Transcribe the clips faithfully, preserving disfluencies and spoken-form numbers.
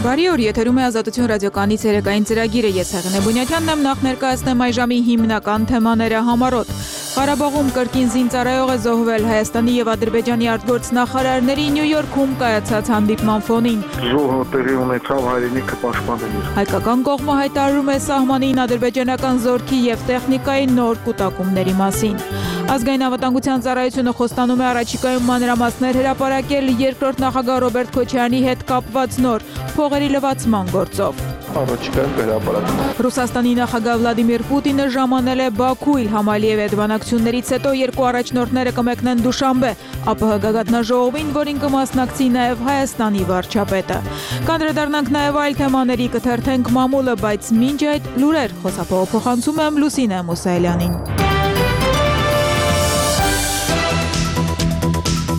Բարի օր, եթերում է Ազատություն ռադիոկայանից երեկային ծրագիրը, ես Հեղինե Բունյաթյանն եմ, նախ ներկայացնեմ այժմի հիմնական թեմաները համառոտ։ Ղարաբաղում կրկին զինծառայող է զոհվել Հայաստանի եւ Ադրբեջանի արտգործնախարարների Նյու Յորքում կայացած հանդիպման ֆոնին։ Զոհը տեղի ունեցավ հայրենիքը պաշտպանելու։ Հայկական կողմը հայտարարում է սահմանին ադրբեջանական զորքի եւ տեխնիկայի նոր կուտակումների մասին։ Ազգային անվտանգության ծառայությունը խոստանում է առաջիկայում մանրամասներ հրապարակել երկրորդ նախագահ Ռոբերտ Քոչարյանի հետ կապված նոր փողերի լվացման գործով։ Առաջիկայում կհրապարակվի։ Ռուսաստանի նախագահ Վլադիմիր Պուտինը ժամանել է Բաքու Իլհամ Ալիևի հետ բանակցություններից հետո երկու առաջնորդները կմեկնեն Դուշանբե ԱՊՀ գագաթնաժողովին, որին կմասնակցի նաև Հայաստանի վարչապետը։ Կանդրադառնանք նաև այլ թեմաների, կթերթենք մամուլը, բայց մինչ այդ լուրեր, խոսափողը փոխանցում եմ Լուսինե Մուսայելյանին։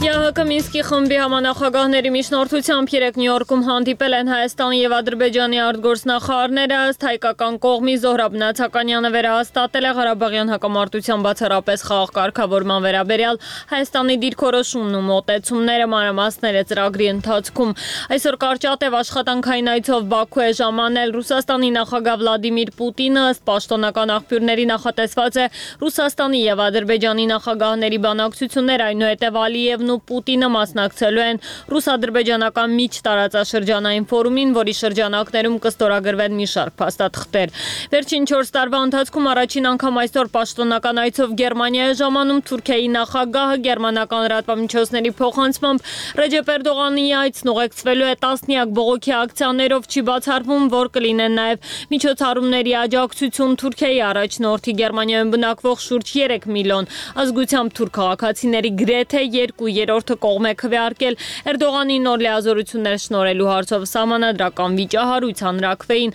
ԵԱՀԿ Մինսկի խմբի համանախագահների միջնորդությամբ երեկ Նյու Յորքում հանդիպել են Հայաստանի եւ Ադրբեջանի արտգործնախարարները, ըստ հայկական կողմի Զոհրաբ Նացականյանը վերահաստատել է Ղարաբաղյան հակամարտության բացառապես խաղաղ կարգավորման վերաբերյալ Հայաստանի դիրքորոշումն ու մոտեցումները մանրամասները ծրագրի ընթացքում։ Այսօր կարճատև աշխատանքային այցով Բաքու է ժամանել Ռուսաստանի նախագահ Վլադիմիր Պուտինը, ըստ պաշտոնական աղբյուրների նախատեսված է Ռուսաստանի եւ Ադրբեջանի նախագահների բանակցություններ, այնուհետև Ալիևն ու Պուտինը մասնակցելու են ռուս-ադրբեջանական միջտարածաշրջանային ֆորումին, որի շրջանակներում կստորագրվեն մի շարք փաստաթղթեր։ Վերջին չորս տարվա ընթացքում առաջին անգամ այսօր պաշտոնական այցով Գերմանիա է ժամանում Թուրքիայի նախագահը, գերմանական լրատվամիջոցների փոխանցմամբ Ռեջեփ Էրդողանի այցն ուղեկցվելու է տասնյակ բողոքի ակցիաներով, չի բացառվում, որ կլինեն նաև միջոցառումների աջակցություն Թուրքիայի առաջնորդի Գերմանիայում բնակվող շուրջ երեք միլիոն ազգությամբ թուրք քաղաքացիների գրեթե երկու երրորդը կողմ է քվեարկել Էրդողանի նոր լիազորություններ շնորհելու հարցով սահմանադրական վիճահարույց հանրաքվեին։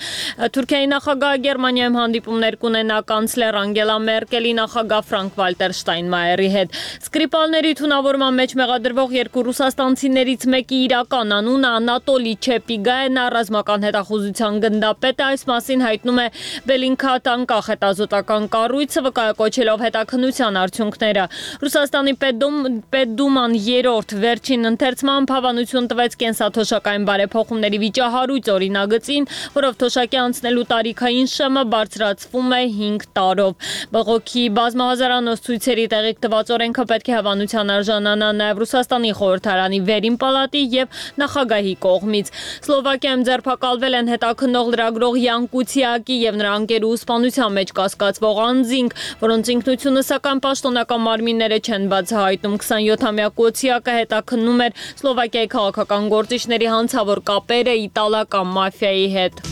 Թուրքիայի նախագահը Գերմանիայում հանդիպումներ կունենա կանցլեր Անգելա Մերկելի, նախագահ Ֆրանկ Վալտեր Շտայնմայերի հետ։ Սկրիպալների թունավորման մեջ մեղադրվող երկու ռուսաստանցիներից մեկի իրական անունը Անատոլի Չեպիգա է, նա ռազմական հետախուզության գնդապետ է, այս մասին հայտնում է Բելինքա տանկախ հետազոտական կառույցը, վկայակոչելով հետաքննության արդյունքները։ Ռուսաստանի Պետդուման երրորդ վերջին ընթերցմամբ հավանություն տվեց կենսաթոշակային բարեփոխումների վիճահարույց օրինագծին, որով թոշակի անցնելու տարիքային շեմը բարձրացվում է հինգ տարով։ Բողոքի բազմահազարանոց ցույցերի տեղիք տված օրենքը պետք է հավանության արժանանա նաև Ռուսաստանի խորհրդարանի վերին պալատի եւ նախագահի կողմից։ Սլովակիայում ձերբակալվել են հետաքննող լրագրող Յան Կուցիակի եւ նրա ընկերու սպանության մեջ կասկածվող անձինք, որոնց ինքնությունը սակայն պաշտոնական մարմինները չեն բացահայտում։ քսանյոթամյա Կոցիակը հետաքննում էր Սլովակիայի քաղաքական գործիչների հանցավոր կապերը իտալական մաֆիայի հետ։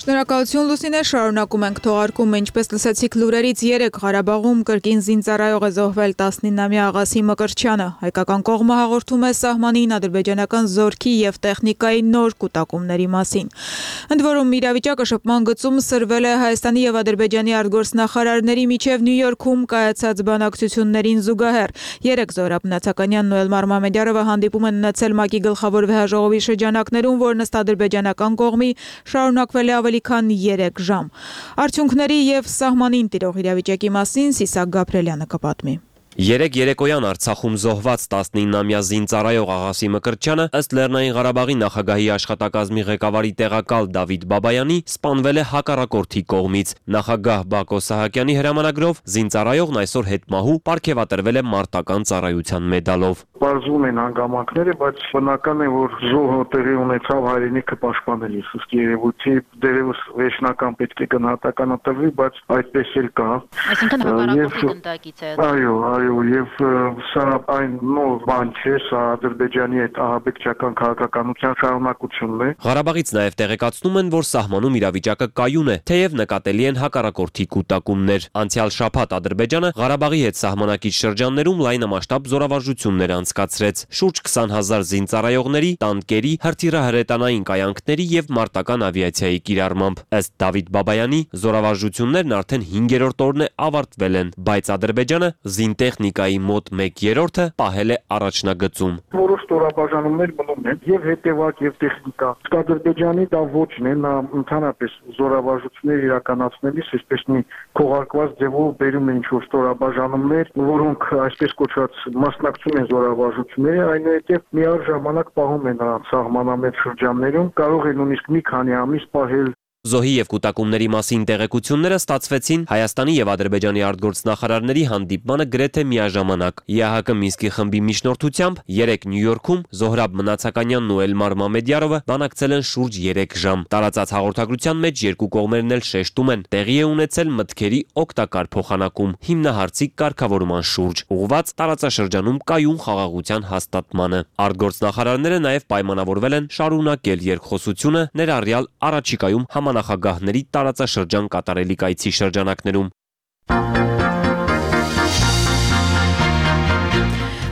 Շնորհակալություն Լուսինե, շարունակում ենք թողարկումը, ինչպես լսեցիք լուրերից, երեկ Ղարաբաղում կրկին զինծառայող է զոհվել տասնինամյա Աղասի Մկրտչյանը։ Հայկական կողմը հաղորդում է սահմանին ադրբեջանական զորքի եւ տեխնիկայի նոր կուտակումների մասին։ Ընդ որում իրավիճակը շփման գծում սրվել է Հայաստանի եւ Ադրբեջանի արտգործնախարարների միջև Նյու Յորքում կայացած բանակցություններին զուգահեռ։ Երեկ Զոհրաբ Նացականյանն ու Էլմար Մամեդյարովը հանդիպում են ունեցել ՄԱԿ-ի գլխավոր վեհաժողովի շրջանակներում, որն ըստ ադրբեջանական կողմի շարունակվել է ավելի քան երեք ժամ։ Արդյունքների եւ սահմանին տիրող իրավիճակի մասին Սիսակ Գաբրելյանը կպատմի։ Երեկ երեկոյան Արցախում զոհված տասնինամյա զինծառայող Աղասի Մկրտչյանը, ըստ Լեռնային Ղարաբաղի նախագահի աշխատակազմի ղեկավարի տեղակալ Դավիթ Բաբայանի, սպանվել է հակառակորդի կողմից։ Նախագահ Բակո Սահակյանի հրամանագրով զինծառայողն այսօր հետմահու պարգևատրվել է մարտական ծառայության մեդալով։ Պարզվում են հանգամանքները, բայց բնական է, որ զոհը տեղի ունեցավ հայրենիքը պաշտպանելիս, ըստ երևույթի դերևս վերջնական պետք է գնահատականը տրվի, բայց այդպես էլ կա։ Այսինքն հակառակորդի գնդակից է։ Այո, այո, եւ սա այն նոր բան չէ, սա Ադրբեջանի հետ ահաբեկչական քաղաքականության շարունակությունն է։ Ղարաբաղից նաև տեղեկացնում են, որ սահմանում իրավիճակը կայուն է, թեև նկատելի են հակառակորդի կուտակումներ։ Անցյալ շաբաթ Ադրբեջանը Ղարաբաղի հետ սահմանակիչ շրջաններում լայնամասշտաբ զորավարժություններ անցկացրեց շուրջ քսան հազար զինծառայողների, տանկերի, հրթիռահրետանային կայանքների եւ մարտական ավիացիայի կիրառմամբ։ Ըստ Դավիթ Բաբայանի, զորավարժություններն արդեն հինգերորդ օրն է ավարտվել են, բայց Ադրբեջանը զինտեխնիկայի մոտ մեկ երրորդը պահել է առաջնագծում։ Որոշ ստորաբաժանումներ մնում են եւ հետեւակ եւ տեխնիկա։ Ադրբեջանի դա ոչն է, նա ընդհանրապես զորավարժություններ իրականացնելիս այսպես մի քողարկված ձևով բերում են ինչ-որ ստորաբաժանումներ, որոնք այսպես կոչված մասնակցում են զորավարժությունների, այնուհետև միաժամանակ պահում են նրանց սահմանամետ շրջաններում, կարող է նույնիսկ մի քանի ամիս պահել։ Զոհի եւ կուտակումների մասին տեղեկությունները ստացվեցին Հայաստանի եւ Ադրբեջանի արտգործնախարարների հանդիպմանը գրեթե միաժամանակ։ ԵԱՀԿ Մինսկի խմբի միջնորդությամբ երեկ Նյու Յորքում Զոհրաբ Մնացականյանն ու Էլմար Մամեդյարովը բանակցել են շուրջ երեք ժամ։ Տարածած հաղորդագրության մեջ երկու կողմերն էլ շեշտում են, տեղի է ունեցել մտքերի օգտակար փոխանակում, հիմնահարցի կարգավորման շուրջ, ուղղված տարածաշրջանում կայուն խաղաղության հաստատմանը։ Արտգործնախարարները նաեւ պայմանավորվել են շարունակել երկխոսությունը, ներառյալ առաջիկայում նախագահների տարածաշրջան կատարելիք այցի շրջանակներում։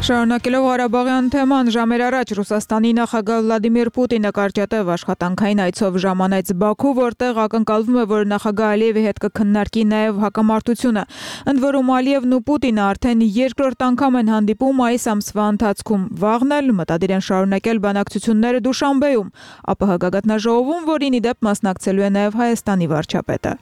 Շարունակելով Ղարաբաղյան թեման, ժամեր առաջ Ռուսաստանի նախագահ Վլադիմիր Պուտինը կարճատև աշխատանքային այցով ժամանեց Բաքու, որտեղ ակնկալվում է, որ նախագահ Ալիևի հետ կքննարկի նաև հակամարտությունը։ Ընդ որում Ալիևն ու Պուտինը արդեն երկրորդ անգամ են հանդիպում այս ամսվա ընթացքում։ Վաղն էլ մտադիր են շարունակել բանակցությունները Դուշանբեում, ԱՊՀ գագաթնաժողովում, որին ի դեպ մասնակցելու է նաև Հայաստանի վարչապետը։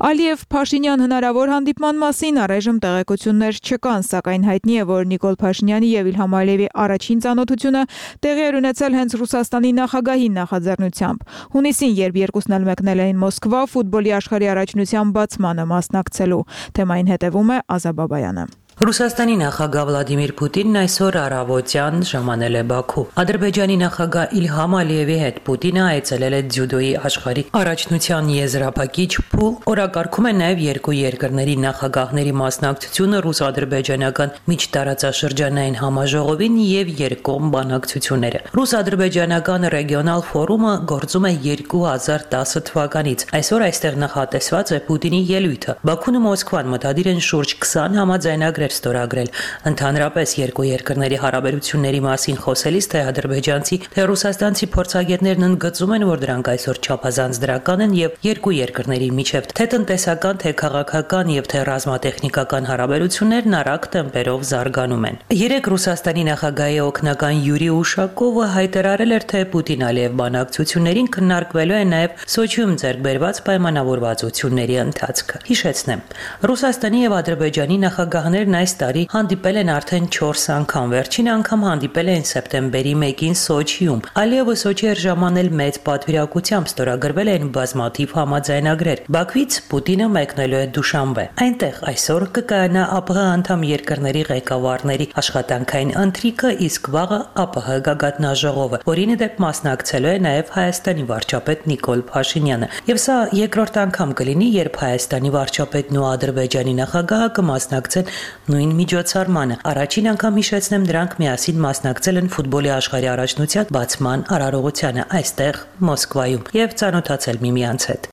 Ալիև-Փաշինյան հնարավոր հանդիպման մասին առայժմ տեղեկություններ չկան, սակայն հայտնի է, որ Նիկոլ Փաշինյանի եւ Իլհամ Ալիևի առաջին ծանոթությունը տեղի էր ունեցել հենց Ռուսաստանի նախագահի նախաձեռնությամբ։ Հունիսին, երբ երկուսն էլ մեկնել էին Մոսկվա ֆուտբոլի աշխարհի առաջնության բացմանը մասնակցելու, թեմային հետևում է Ազա Բաբայանը։ Ռուսաստանի նախագահ Վլադիմիր Պուտինն այսօր առավոտյան ժամանել է Բաքու։ Ադրբեջանի նախագահ Իլհամ Ալիևի հետ Պուտինը այցելել է ձյուդոյի աշխարհի առաջնության եզրափակիչ փուլ, օրակարգում է նաև երկու երկրների նախագահների մասնակցությունը ռուս-ադրբեջանական միջտարածաշրջանային համաժողովին եւ երկկողմ բանակցությունները։ Ռուս-ադրբեջանական ռեգիոնալ ֆորումը գործում է երկու հազար տասը թվականից։ Այսօր այստեղ նախատեսված է Պուտինի ելույթը։ Բաքուն ու Մոսկվան մտադիր են շուրջ քսան համաձայնագրեր ստորագրել։ Ընդհանրապես երկու երկրների հարաբերությունների մասին խոսելիս թե ադրբեջանցի, թե ռուսաստանցի փորձագետներն ընդգծում են, որ դրանք այսօր չափազանց դրական են եւ երկու երկրների միջև թե տնտեսական, թե քաղաքական եւ թե ռազմատեխնիկական հարաբերություններն արագ տեմպերով զարգանում են։ Երեք Ռուսաստանի նախագահի օգնական Յուրի Ուշակովը հայտարարել էր, թե Պուտին-Ալիև բանակցություններին քննարկվելու է նաեւ Սոչիում ձեռք բերված պայմանավորվածությունների ընթացքը։ Հիշեցնեմ, Ռուսաստանի եւ Ադրբեջանի նախագահներն այս տարի հանդիպել են արդեն չորս անգամ, վերջին անգամ հանդիպել էին սեպտեմբերի մեկին Սոչիում։ Ալիևը Սոչի էր ժամանել մեծ պատվիրակությամբ, ստորագրվել են բազմաթիվ համաձայնագրեր։ Բաքվից Պուտինը մեկնելու է Դուշանբե։ Այնտեղ այսօր կկայանա ԱՊՀ անդամ երկրների ղեկավարների աշխատանքային ընթրիքը, իսկ վաղը ԱՊՀ գագաթնաժողովը, որին ի դեպ մասնակցելու է նաև Հայաստանի վարչապետ Նիկոլ Փաշինյանը։ Եվ սա երկրորդ անգամ կլինի, երբ Հայաստանի վարչապետն ու Ադրբեջանի նախագահը կմասնակցեն նույն միջոցառմանը։ Առաջին անգամ հիշեցնեմ, դրանք միասին մասնակցել են ֆուտբոլի աշխարհի առաջնության բացման արարողությանը այստեղ Մոսկվայում եւ ծանոթացել միմյանց հետ։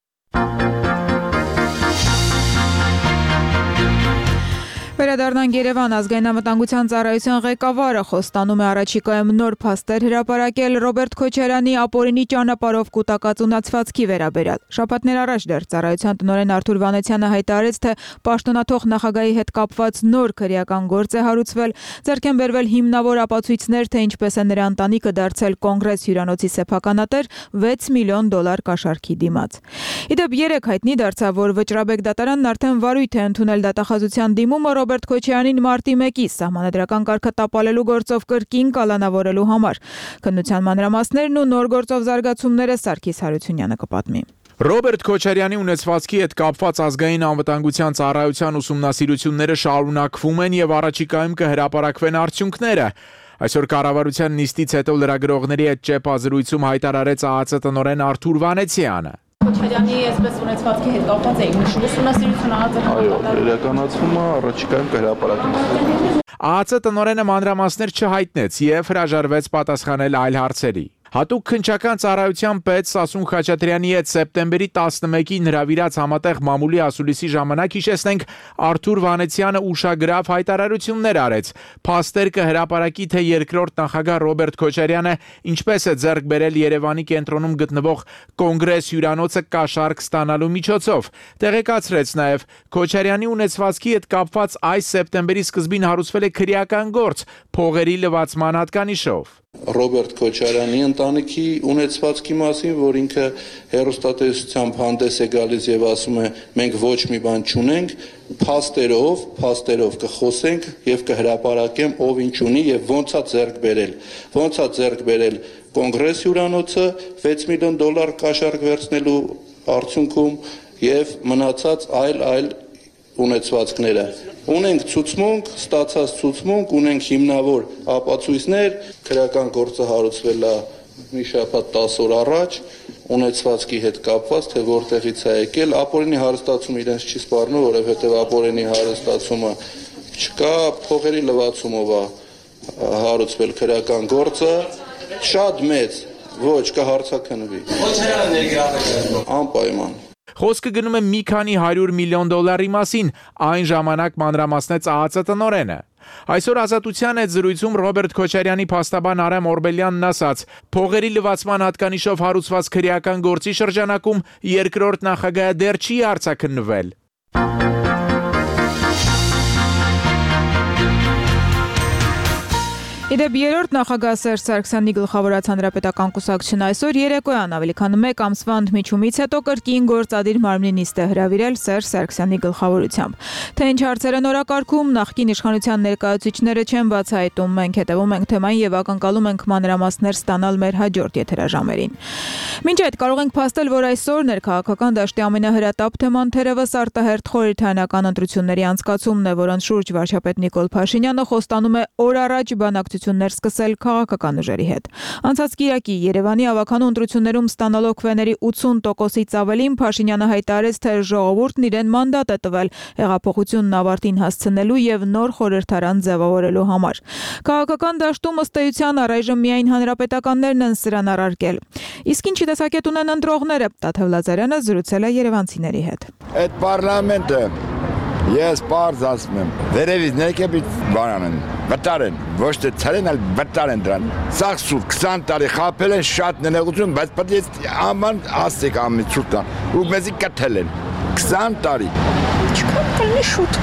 Վերադառնանք Երևան, ազգային անվտանգության ծառայության ղեկավարը խոստանում է առաջիկայում նոր փաստեր հրապարակել Ռոբերտ Քոչարյանի ապօրինի ճանապարհով կուտակած ունացվածքի վերաբերյալ։ Շաբաթներ առաջ դեռ ծառայության տնօրեն Արթուր Վանեցյանը հայտարարեց, թե պաշտոնաթող նախագահի հետ կապված նոր քրեական գործ է հարուցվել, ձեռք են բերվել հիմնավոր ապացույցներ, թե ինչպես է նրա ընտանիքը դարձել Կոնգրես հյուրանոցի սեփականատեր վեց միլիոն դոլար կաշառքի դիմաց։ Իդեպ երեք հայտնի դարձավ, որ Վճռաբեկ դատարանն արդեն վարույթ է ընդունել դատախազության դիմումը Ռոբերտ Քոչարյանին մարտի մեկի սահմանադրական կարգը տապալելու գործով կրկին կալանավորելու համար։ Քննության մանրամասներն ու նոր գործով զարգացումները Սարգիս Հարությունյանը կպատմի։ Ռոբերտ Քոչարյանի ունեցվածքի հետ կապված ազգային անվտանգության ծառայության ուսումնասիրությունները շարունակվում են եւ առաջիկայում կհրապարակվեն արդյունքները։ Այսօր կառավարության նիստից հետո լրագրողների հետ ճեպազրույցում հայտարարեց ԱԱԾ տնօրեն Արթուր Վանեցյանը։ Քոչարյանի այսպես ունեցվածքի հետ կապված է ուրիշ ուսումնասիրություն Այո, իրականացվում է, առաջիկայում կհրապարակվի։ ԱԱԾ տնօրենը մանրամասներ չհայտնեց եւ հրաժարվեց պատասխանել այլ հարցերի։ Հատուկ քննչական ծառայության պետ Սասուն Խաչատրյանի հետ սեպտեմբերի տասնմեկին հրավիրած համատեղ մամուլի ասուլիսի ժամանակ հիշեցնենք Արթուր Վանեցյանը ուշագրավ հայտարարություններ արեց։ Փաստեր կհրապարակի, թե երկրորդ նախագահ Ռոբերտ Քոչարյանը ինչպես է ձեռք բերել Երևանի կենտրոնում գտնվող Կոնգրես հյուրանոցը կաշառք ստանալու միջոցով։ Տեղեկացրեց նաև Քոչարյանի ունեցվածքի հետ կապված այս սեպտեմբերի սկզբին հարուցվել է քրեական գործ փողերի լվացման հատկանիշով։ Ռոբերտ Քոչարյանի ընտանիքի ունեցվածքի մասին, որ ինքը հեռուստատեսությամբ հանդես է գալիս եւ ասում է մենք ոչ մի բան չունենք, փաստերով, փաստերով կխոսենք եւ կհրապարակեմ ով ինչ ունի եւ ոնց է ձեռք բերել։ Ոնց է ձեռք բերել Կոնգրես հյուրանոցը վեց միլիոն դոլար կաշառք վերցնելու արդյունքում եւ մնացած այլ այլ ունեցվածքները։ Ունենք ցուցմունք, ստացած ցուցմունք, ունենք հիմնավոր ապացույցներ, քրեական գործը հարուցվել է մի շաբաթ տասը օր առաջ, ունեցվածքի հետ կապված, թե որտեղից է եկել, ապօրինի հարստացումը իրենց չի սպառնում, որովհետև ապօրինի հարստացումը չկա, փողերի լվացումով է հարուցվել քրեական գործը, շատ մեծ, ոչ կհարցաքննվի։ Անպայման։ Խոսքը գնում է մի քանի հարյուր միլիոն դոլարի մասին, այն ժամանակ մանրամասնեց ԱԱԾ տնօրենը։ Այսօր Ազատության հետ զրույցում Ռոբերտ Քոչարյանի փաստաբան Արամ Օրբելյանն ասաց. փողերի լվացման հատկանիշով հարուցված քրեական գործի շրջանակում երկրորդ նախագահը դեռ չի արձաքննվել։ Իդեպ երրորդ նախագահ Սերժ Սարգսյանի գլխավորած հանրապետական կուսակցությունը այսօր երեկոյան ավելի քան մեկ ամսվա ընդմիջումից հետո կրկին գործադիր մարմնի նիստ է հրավիրել Սերժ Սարգսյանի գլխավորությամբ։ Թե ինչ հարցեր են օրակարգում, նախկին իշխանության ներկայացուցիչները չեն բացահայտում, մենք հետևում ենք թեմային եւ ակնկալում ենք մանրամասներ ստանալ մեր հաջորդ եթերաժամերին։ Մինչ այդ կարող ենք փաստել, որ այսօր ներքաղաքական դաշտի ամենահրատապ թեման թերևս արտահերթ խորհրդարանական ընտրությունների անցկացումն է, որոնց շուրջ վարչապետ Նիկոլ Փաշինյանը խոստանում է օր առաջ բանակցություններ սկսել քաղաքական ուժերի հետ։ Անցած կիրակի Երևանի ավականու ընտրություններում ստանալով քվեների ութսուն տոկոսից ավելին Փաշինյանը հայտարարեց, թե ժողովուրդն իրեն մանդատ է տվել հեղափոխությունն ավարտին հասցնելու եւ նոր խորհրդարան ձևավորելու համար։ Քաղաքական դաշտում ըստ էության առայժմ միայն հանրապետականներն են սրան առարկել։ Իսկ ինչի տեսակետ ունեն ընտրողները, Տաթև Լազարյանը զրուցել է երևանցիների հետ։ Այդ պարլամենտը ես բարձ ասում եմ, վերևից ներքևից բանան են, վտար են, ոչ թե ցարեն, այլ վտար են դրան։ Սաղ սուտ քսան տարի խաբել են շատ ներողություն, բայց պետք է աման ասեք ամի ցուտա, ու մեզի կթել են։ քսան տարի։ Չկան կլինի շուտ,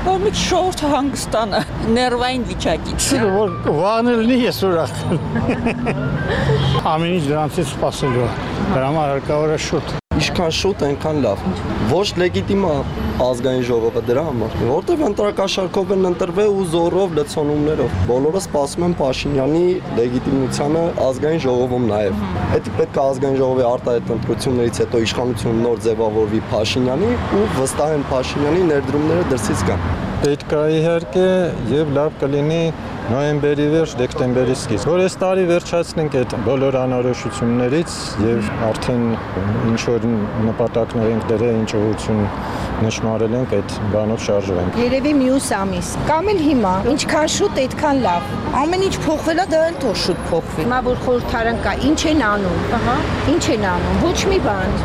որ մի շորթ հանգստանը, ներվային վիճակից։ Որ վանելնի ես ուրախ։ Ամեն ինչ դրանցից սպասելու է, դրա համար հարկավոր է շուտ։ Ինչքան շուտ, այնքան լավ։ Ոչ լեգիտիմ է ազգային ժողովը դրա համար, որտեղ ընտրակաշառքով են ընտրվել ու զորով լցոնումներով։ Բոլորը սպասում են Փաշինյանի լեգիտիմությանը ազգային ժողովում նաև։ Դա պետք է ազգային ժողովի արտահայտ ընտրություններից հետո իշխանությունը նոր ձևավորվի Փաշինյանի ու վստահեն Փաշինյանի ներդրումները դրսից գան։ Պետք է իհարկե եւ լավ կլինի նոյեմբերի վերջ, դեկտեմբերի սկիզբ, որ այս տարի վերջացնենք այդ բոլոր անորոշություններից եւ արդեն ինչ որ նպատակներ ենք դրել, ինչ ուղղություն նշмарել ենք, այդ բանով շարժվենք։ Երևի մյուս ամիս, կամ էլ հիմա, ինչքան շուտ, այդքան լավ։ Ամեն ինչ փոխվել է, դա էլ թող շուտ փոխվի։ Հիմա որ խորհրդարան կա, ինչ են անում։ Ահա, ինչ են անում, ոչ մի բան։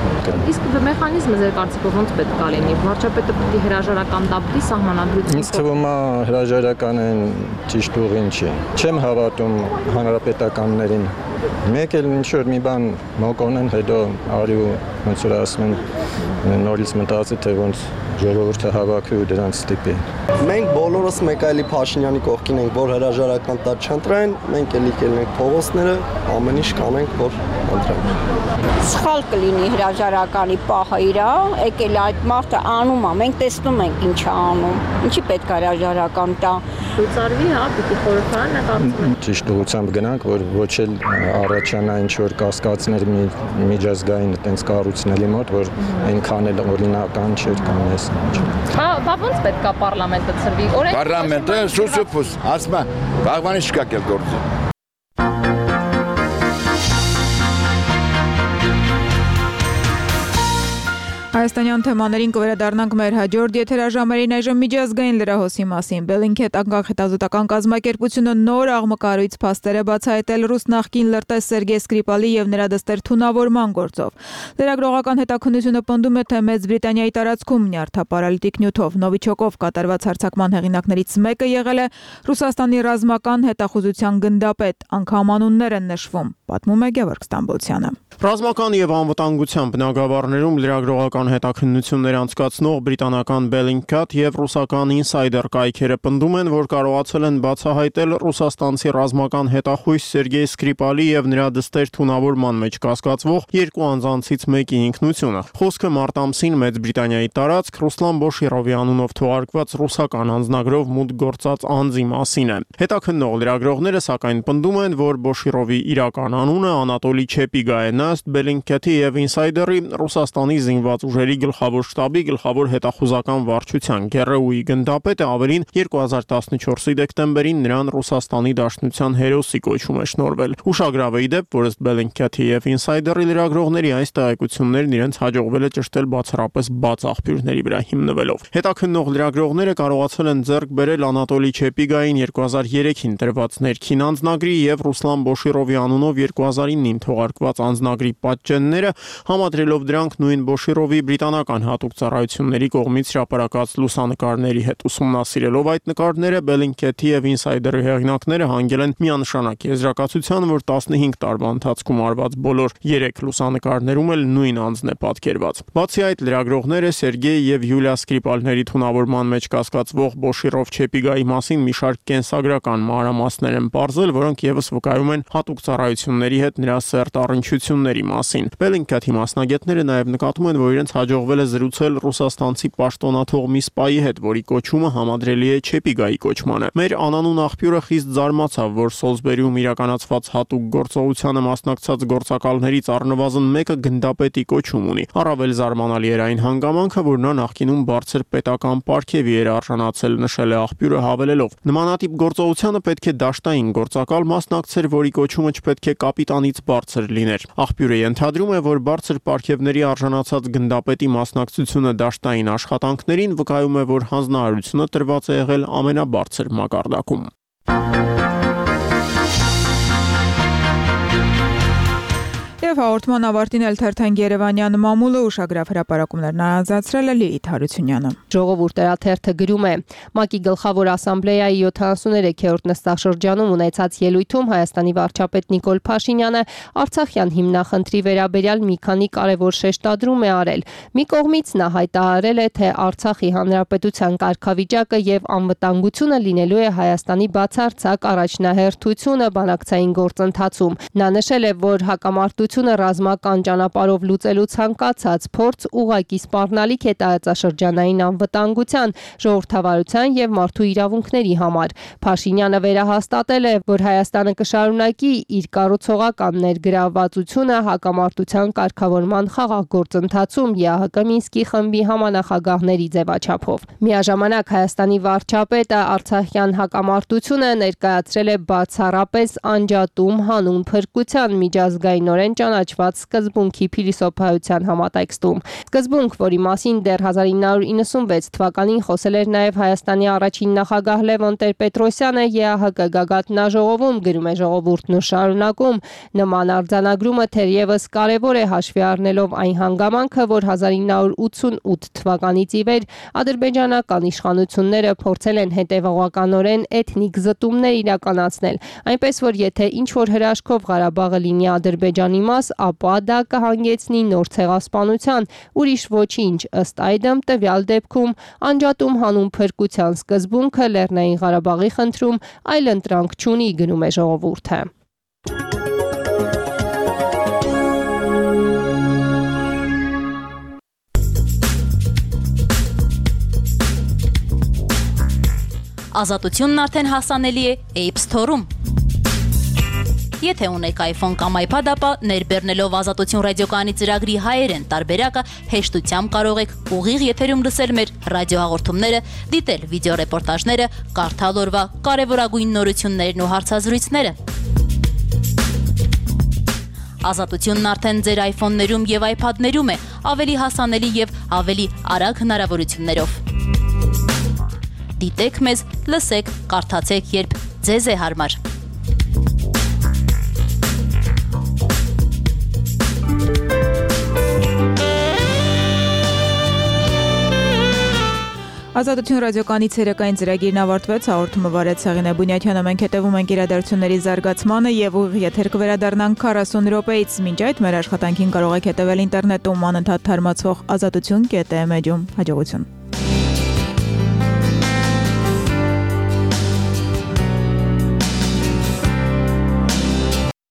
Իսկ մեխանիզմը ձեր կարծիքով ոնց պետք է լինի։ Վարչապետը պետք է հրաժարական տապի սահմանադրություն։ Ինձ թվում է հրաժարականն ճիշտ ուղին չի։ Չեմ հավատում հանրապետականներին։ Մեկ էլ ինչ որ մի բան մոկոնեն, հետո արի ու ոնց որ ասում են նորից մտածի, թե ոնց ժողովուրդը հավաքի ու դրանց ստիպի։ Մենք բոլորս մեկ այլի Փաշինյանի կողքին ենք, որ հրաժարական տակ չընտրեն, մենք էլի կելնենք փողոցները, ամեն ինչ կանենք, որ ընտրենք։ Սխալ կլինի հրաժարականի պահը իրա, եկել այդ մարդը անում է, մենք տեսնում ենք ինչ է անում։ Ինչի պետք է հրաժարական տա։ Լուծարվի, հա, պիտի խորհրդարանը կարծում եմ։ Ճիշտ ուղղությամբ գնանք, որ ոչ էլ առաջանա ինչ որ կասկածներ միջազգային այդպես կառույցների մոտ, որ այնքան էլ օրինական չէր կամ էս ինչ։ Բա բա ոնց պետք է պարլամենտը ծրվի։ Պարլամենտը սուսուփուս, ասում է, բաղվանի շկակել գործի։ Հայաստանյան թեմաներին կվերադառնանք մեր հաջորդ եթերաժամերին այժմ միջազգային լրահոսի մասին։ Bellingcat անկախ-հետազոտական կազմակերպությունը նոր աղմկարույց փաստեր է բացահայտել ռուս նախկին լրտես Սերգեյ Սկրիպալի եւ նրա դստեր թունավորման գործով։ Լրագրողական հետաքննությունը պնդում է, թե Մեծ Բրիտանիայի տարածքում նյարդապարալիտիկ նյութով Նովիչոկով կատարված հարձակման հեղինակներից մեկը եղել է Ռուսաստանի ռազմական հետախուզության գնդապետ, անգամ անուններ են նշվում, պատմում է Գևորգ Ստամբոլցյանը։ Ռազմական եւ անվտանգության բնագավառներում լրագրողական հետաքննություններ անցկացնող բրիտանական Bellingcat եւ ռուսական Insider կայքերը պնդում են, որ կարողացել են բացահայտել ռուսաստանցի ռազմական հետախույզ Սերգեյ Սկրիպալի եւ նրա դստեր թունավորման մեջ կասկածվող երկու անձանցից մեկի ինքնությունը։ Խոսքը մարտ ամսին Մեծ Բրիտանիայի տարածք Ռուսլան Բոշիրովի անունով թողարկված ռուսական անձնագրով մուտք գործած անձի մասին է։ Հետաքննող լրագրողները սակայն պնդում են, որ Բոշիրովի իրական անունը Անատոլի Չեպիգա է։ Ըստ Bellingcat-ի եւ Insider-ի Ռուսաստանի զինված ուժերի գլխավոր շտաբի գլխավոր հետախուզական վարչության ԳՌՈՒ-ի գնդապետը ավելին երկու հազար տասնչորսի դեկտեմբերին նրան Ռուսաստանի Դաշնության հերոսի կոչում է շնորհվել։ Ուշագրավ է ի դեպ, որ ըստ Bellingcat-ի եւ Insider-ի լրագրողների այս տեղեկություններն իրենց հաջողվել է ճշտել բացառապես բաց աղբյուրների վրա հիմնվելով։ Հետաքննող լրագրողները կարողացել են ձեռք բերել Անատոլի Չեպիգային երկու հազար երեքին տրված ներքին անձնագրի եւ Ռուսլան Բոշիրովի անունով երկու հազար ինին թողարկված անձնագրի պատճենները, համադրելով դրանք նույն Բոշիրովի բրիտանական հատուկ ծառայությունների կողմից հրապարակած լուսանկարների հետ։ Ուսումնասիրելով այդ նկարները, Bellingcat-ի եւ Insider-ի հեղինակները հանգել են միանշանակ եզրակացության, որ տասնհինգ տարվա ընթացքում արված բոլոր երեք լուսանկարներում էլ նույն անձն է պատկերված։ Բացի այդ, լրագրողները Սերգեյ եւ Յուլիա Սկրիպալների թունավորման մեջ կասկածվող Բոշիրով Չեպիգայի մասին մի շարք կենսագրական մանրամասներ են պարզել, որոնք եւս վկայում են հատուկ ծառայությունների հետ նրա սերտ առնչությունների մասին։ Bellingcat-ի մասնագետները նաև նկատում են, որ իրենց հաջողվել է զրուցել ռուսաստանցի պաշտոնաթող մի սպայի հետ, որի կոչումը համադրելի է Չեպիգայի կոչմանը։ Մեր անանուն աղբյուրը խիստ զարմացավ, որ Սոլսբերիում իրականացված հատուկ գործողությանը մասնակցած գործակալներից առնվազն մեկը գնդապետի կոչում ունի։ Առավել զարմանալի էր այն հանգամանքը, որ նա նախկինում բարձր պետական պարգևի էր արժանացել, նշել է աղբյուրը հավելելով. նմանատիպ գործողությանը պետք է դաշտային գործակալ մասնակցեր, որի կոչումը չպետք է կապիտանից բարձր լիներ։ Աղբյուրը ենթադրում է, որ բարձր պարգևների արժանացած գնդապետի մասնակցությունը դաշտային աշխատանքներին վկայում է, որ հանձնարարությունը տրված է եղել ամենաբարձր մակարդակում։ Եվ հաղորդման ավարտին էլ թերթենք Երևանյան մամուլը ուշագրավ հրապարակումներն անցածրել է Լիլիթ Հարությունյանը։ Ժողովուրդը գրում է. ՄԱԿ-ի գլխավոր ասամբլեայի յոթանասուներեքերորդ նստաշրջանում ունեցած ելույթում Հայաստանի վարչապետ Նիկոլ Փաշինյանը Արցախյան հիմնախնդրի վերաբերյալ մի քանի կարևոր շեշտադրում է արել։ Մի կողմից նա հայտարարել է, թե Արցախի հանրապետության կարգավիճակը եւ անվտանգությունը լինելու է Հայաստանի բացարձակ առաջնահերթությունը բանակցային գործընթացում։ Նա նշել է, որ հակամարտությունը ռազմական ճանապարհով լուծելու ցանկացած փորձ ուղղակի սպառնալիք է տարածաշրջանային անվտանգության, ժողովրդավարության եւ մարդու իրավունքների համար։ Փաշինյանը վերահաստատել է, որ Հայաստանը կշարունակի իր կառուցողական ներգրավվածությունը հակամարտության կարգավորման խաղաղ գործընթացում ԵԱՀԿ Մինսկի խմբի համանախագահների ձևաչափով։ Միաժամանակ Հայաստանի վարչապետը Արցախյան հակամարտությունը ներկայացրել է բացառապես անջատում հանուն փրկության միջազգայինորեն ճանաչված սկզբունքի փիլիսոփայության համատեքստում։ Սկզբունք, որի մասին դեռ հազար ինը հարյուր իննսունվեց թվականին խոսել էր նաև Հայաստանի առաջին նախագահ Լևոն Տեր-Պետրոսյանը ԵԱՀԿ գագաթնաժողովում, գրում է Ժողովուրդն ու շարունակում. նման արձանագրումը թերևս կարևոր է հաշվի առնելով այն հանգամանքը, որ հազար ինը հարյուր ութսունութ թվականից ի վեր ադրբեջանական իշխանությունները փորձել են հետևողականորեն էթնիկ զտումներ իրականացնել, այնպես որ եթե ինչ-որ հրաշքով Ղարաբաղը լինի Ադրբեջանի մաս, ապա դա կհանգեցնի նոր ցեղասպանության, ուրիշ ոչինչ, ըստ այդմ տվյալ դեպքում անջատում հանուն փրկության սկզբունքը Լեռնային Ղարաբաղի խնդրում այլ ընտրանք չունի, գնում է Ժողովուրդը։ Ազատությունն արդեն հասանելի է App Store-ում։ Եթե ունեք iPhone կամ iPad, ապա ներբեռնելով Ազատություն ռադիոկայանի ծրագրի հայերեն տարբերակը հեշտությամբ կարող եք ուղիղ եթերում լսել մեր ռադիոհաղորդումները, դիտել վիդեոռեպորտաժները, կարդալ օրվա կարևորագույն նորություններն ու հարցազրույցները։ Ազատությունն արդեն ձեր iPhone-ներում եւ iPad-ներում է, ավելի հասանելի եւ ավելի արագ հնարավորություններով։ Դիտեք մեզ, լսեք, կարդացեք, երբ ձեզ է հարմար։ Ազատություն ռադիոկանի ցերեկային ծրագիրն ավարտվեց, հաղորդումը վարեց Սաղինե Բունյաթյանը, մենք հետևում ենք իրադարձությունների զարգացմանը եւ ուղիղ եթեր կվերադառնանք քառասուն րոպեից։ Մինչ այդ մեր աշխատանքին կարող եք հետևել ինտերնետում անընդհատ թարմացվող ազատություն կետ էմ էջում։ Հաջողություն։